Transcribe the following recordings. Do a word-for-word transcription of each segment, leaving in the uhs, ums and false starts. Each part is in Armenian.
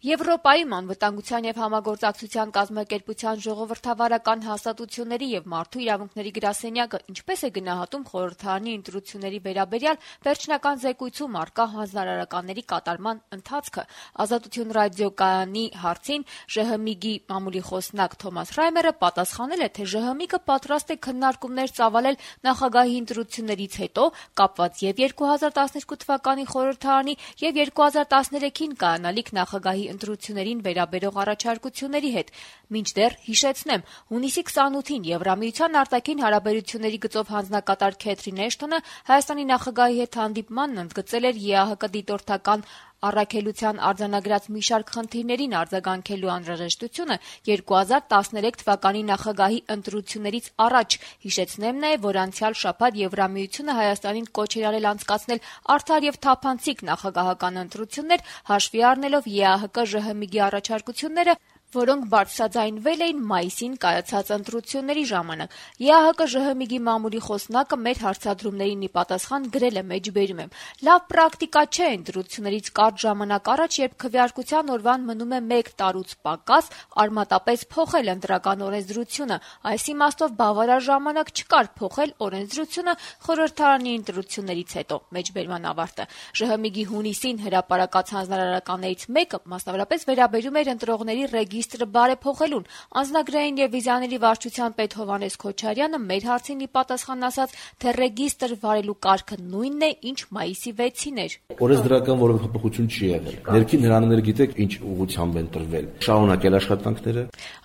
Եվրոպայում անվտանգության և համագործակցության կազմակերպության ժողովրդավարական հաստատությունների և մարդու իրավունքների գրասենյակը ինչպես է գնահատում խորհրդարանի ընտրությունների վերաբերյալ վերջնական զեկույցում առկա հանձնարարականների կատարման ընթացքը։ Ազատություն ռադիոկայանի հարցին ԺՀՄԻԳ-ի մամուլի խոսնակ Թոմաս Ռայմերը պատասխանել է, թե ԺՀՄԻԳ-ը պատրաստ է քննարկումներ ծավալել նախագահի ընտրություններից հետո կապված և երկու հազար տասներկու թվականի խորհրդարանի և երկու հազար տասներեքին կայանալիք նախագահի ընտրություններին վերաբերող առաջարկությունների հետ։ Մինչդեռ հիշեցնեմ, հունիսի քսանութին Եվրամիության արտաքին հարաբերությունների գծով հանձնակատար Քեթրին Էշթոնը Հայաստանի նախագահի հետ հանդիպմանն ընդգծել էր ԵԱՀԿ դիտորդական առաքելության արձանագրած մի շարք խնդիրներին արձագանքելու անհրաժեշտությունը երկու հազար տասներեք թվականի նախագահի ընտրություններից առաջ։ Հիշեցնեմ նաև, որ անցյալ շաբաթ Եվրամիությունը Հայաստանին կոչ էր արել անցկացնել արդար և թափանցիկ նախագահական ընտրություններ, հաշվի առնելով ԵԱՀԿ-ԺՀՄԻԳ-ի առաջարկությունները, որոնք բարձրաձայնվել էին մայիսին կայացած ընտրությունների ժամանակ։ ԵԱՀԿ-ԺՀՄԻԳ-ի մամուլի խոսնակը մեր հարցադրումներին ի պատասխան գրել է մեջբերում եմ. «Լավ պրակտիկա չէ ընտրություններից կարճ ժամանակ առաջ, երբ քվեարկության օրվան մնում է մեկ տարուց պակաս, արմատապես փոխել ընտրական օրենսդրությունը։ Այս իմաստով բավարար ժամանակ չկար փոխել օրենսդրությունը խորհրդարանի ընտրություններից հետո»։ Մեջբերման ավարտը։ ԺՀՄԻԳ-ի հունիսին հրապարակած հանձնարարականներից մեկը մասնավորապես վերաբերում էր ընտրողների ռեգիստրը բարեփոխելուն։ Անձնագրային և վիզաների վարչության պետ Հովհաննես Քոչարյանը մեր հարցին ի պատասխան ասաց, թե ռեգիստր վարելու կարգը նույնն է, ինչ մայիսի վեցին էր։ Օրենսդրական որևէ փոփոխություն չի եղել։ Ներքին հրամանները գիտեք ինչ ուղղությամբ են տրվել։ Շարունակել աշխատանքները։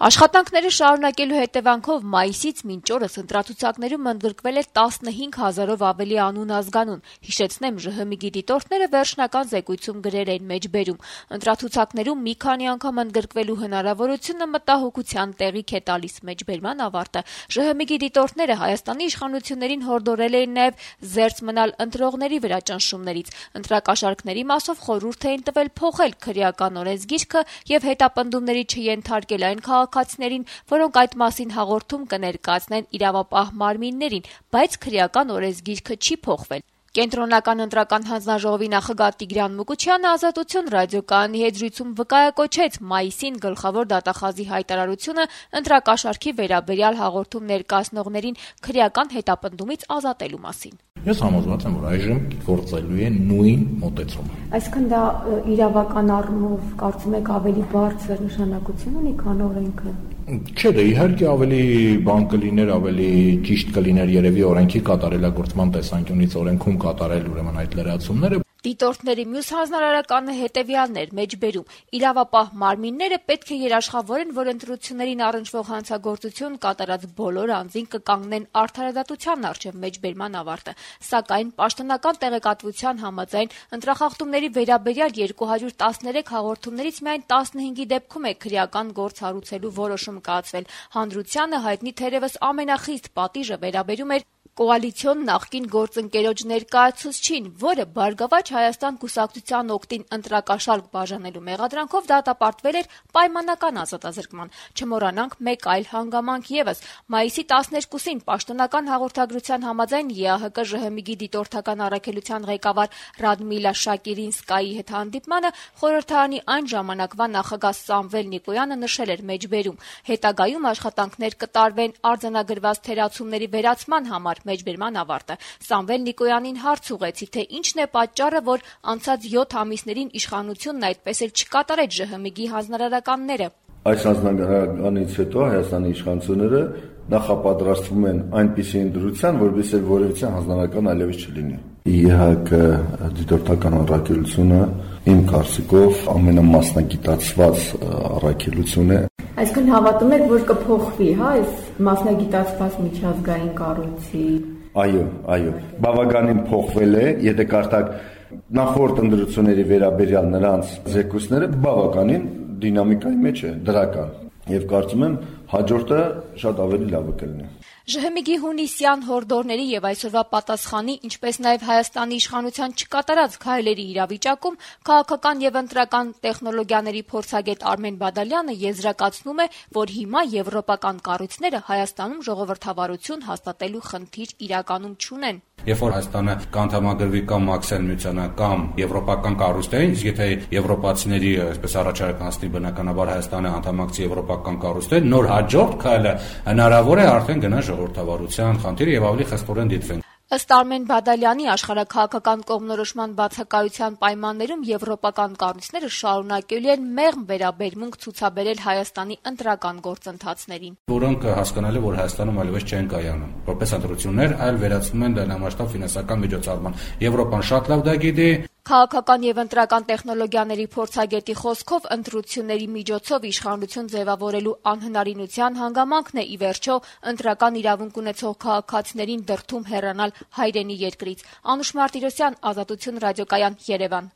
Աշխատանքները շարունակելու հետևանքով մայիսից մինչ օրս ընտրացուցակներում ընդգրկվել է տասնհինգ հազարով ավելի անուն ազգանուն։ Հիշեցնեմ, ԺՀՄԻԳ-ի դիտորդները վերջնական զեկույցում գրել էին մեջբերում. ընտրացուցակներում մի քանի անգամ ընդգրկվելու հնարավորությունը մտահոգության տեղիք է տալիս։ Մեջբերման ավարտը։ ԺՀՄԻԳ-ի դիտորդները Հայաստանի իշխանություններին հորդորել էին նաև զերծ մնալ ընտրողների վրա ճնշումներից։ Ընտրակաշառքների մասով խորհուրդ էին տվել փոխել քրեական օրենսգիրքը և հետապնդումների չենթարկել այն քաղաքացիներին, որոնք այդ մասին հաղորդում կներկայացնեն իրավապահ մարմիններին, բայց քրեական օրենսգիրքը չի փոխվել։ Կենտրոնական ընտրական հանձնաժողովի նախագահ Տիգրան Մուկուչյանը Ազատություն ռադիոկայանի հետ զրույցում վկայակոչեց մայիսին գլխավոր դատախազի հայտարարությունը ընտրակաշառքի վերաբերյալ հաղորդում ներկայացնողներին քրեական հետապնդումից ազատելու մասին։ Ես համոզված եմ, որ այժմ գործելու է նույն մոտեցումը։ Այսինքն դա իրավական առումով կարծում եք ավելի բարձր նշանակություն ունի, քան օրենքը։ Չէ, դե իհարկե ավելի բան կլիներ, ավելի ճիշտ կլիներ երևի օրենքի կատարելագործման տեսանկյունից օրենքում կատարել ուրեմն այդ լրացումները։ Դիտորդների մյուս հանձնարարականը հետևյալն էր մեջբերում. իրավապահ մարմինները պետք է երաշխավորեն, որ ընտրություններին առնչվող հանցագործություն կատարած բոլոր անձին կկանգնեն արդարադատության առջև։ Մեջբերման ավարտը։ Սակայն պաշտոնական տեղեկատվության համաձայն ընտրախախտումների վերաբերյալ երկու հարյուր տասներեք հաղորդումներից միայն տասնհինգի դեպքում է քրեական գործ հարուցելու որոշում կայացվել։ Հանրությանը հայտնի թերևս ամենախիստ պատիժը վերաբերում էր կոալիցիոն նախկին գործընկերոջ ներկայացուցչին, որը Բարգավաճ Հայաստան կուսակցության օգտին ընտրակաշառք բաժանելու մեղադրանքով դատապարտվել էր պայմանական ազատազրկման։ Չմոռանանք մեկ այլ հանգամանք ևս։ Մայիսի տասներկուսին պաշտոնական հաղորդագրության համաձայն ԵԱՀԿ-ԺՀՄԻԳ-ի դիտորդական առաքելության ղեկավար Ռադմիլա Շակիրինսկայի հետ հանդիպմանը խորհրդարանի այն ժամանակվա նախագահ Սամվել Նիկոյանը նշել էր մեջբերում. հետագայում աշխատանքներ կտարվեն արձանագրված թերացումների վերացման համար։ Մեջբերման ավարտը։ Սամվել Նիկոյանին հարց ուղղեցի, թե ինչն է պատճառը, որ անցած յոթ ամիսներին իշխանությունն այդպես էլ չկատարեց ԺՀՄԻԳ-ի հանձնարարականները։ Այս հանձնարարականից հետո Հայաստանի իշխանությունները նախապատրաստվում են այնպիսի ընտրության, որովհետև որևիցե հանձնարարական այլևս չլինի։ ԵԱՀԿ դիտորդական առաքելությունը իմ կարծիքով ամենամասնագիտացված առաքելություն է։ Այսինքն հավատում եք, որ կփոխվի, հա, այս մասնագիտացված միջազգային կառույցի։ Այո, այո, բավականին փոխվել է, եթե կարդաք նախորդ ընտրությունների վերաբերյալ նրանց զեկույցները, բավականին դինամիկայի մեջ է, դրական։ Եվ կարծում եմ հաջորդը շատ ավելի լավը կլինի։ ԺՀՄԻԳ-ի հունիսյան հորդորների եւ այսօրվա պատասխանի, ինչպես նաեւ Հայաստանի իշխանության չկատարած քայլերի իրավիճակում քաղաքական եւ ընտրական տեխնոլոգիաների փորձագետ Արմեն Բադալյանը եզրակացնում է, որ հիմա եվրոպական կառույցները Հայաստանում ժողովրդավարություն հաստատելու խնդիր իրականում չունեն։ Երբ որ Հայաստանը կանդամագրվի կամ մաքսել միությանը կամ եվրոպական կառույցներին, իսկ եթե եվրոպացիների այսպես առաջարկ անցնի բնականաբար Հայաստանը անդամակցի եվրոպական կառույցներ, նոր հաջորդ քայլը հնարավոր է արդեն գնա ժողովրդավարության խնդիրը եւ ավելի խստորեն դիտվեն։ Ըստ Արմեն Բադալյանի, աշխարհաքաղաքական կողմնորոշման բացակայության պայմաններում եվրոպական կառույցները շարունակելու են մեղմ վերաբերմունք ցուցաբերել Հայաստանի ընտրական գործընթացներին, որոնք հասկանալի որ Հայաստանում այլևս չեն կայանում որպես ընտրություններ, այլ վերածվում են լայնամասշտաբ ֆինանսական միջոցառման։ Եվրոպան շատ լավ դա գիտի։ Քաղաքական եւ ընտրական տեխնոլոգիաների փորձագետի խոսքով ընտրությունների միջոցով իշխանություն ձևավորելու անհնարինության հանգամանքն է ի վերջո ընտրական իրավունք ունեցող քաղաքացիներին դրդում հեռանալ հայրենի երկրից։ Անուշ Մարտիրոսյան, Ազատություն ռադիոկայան, Երևան։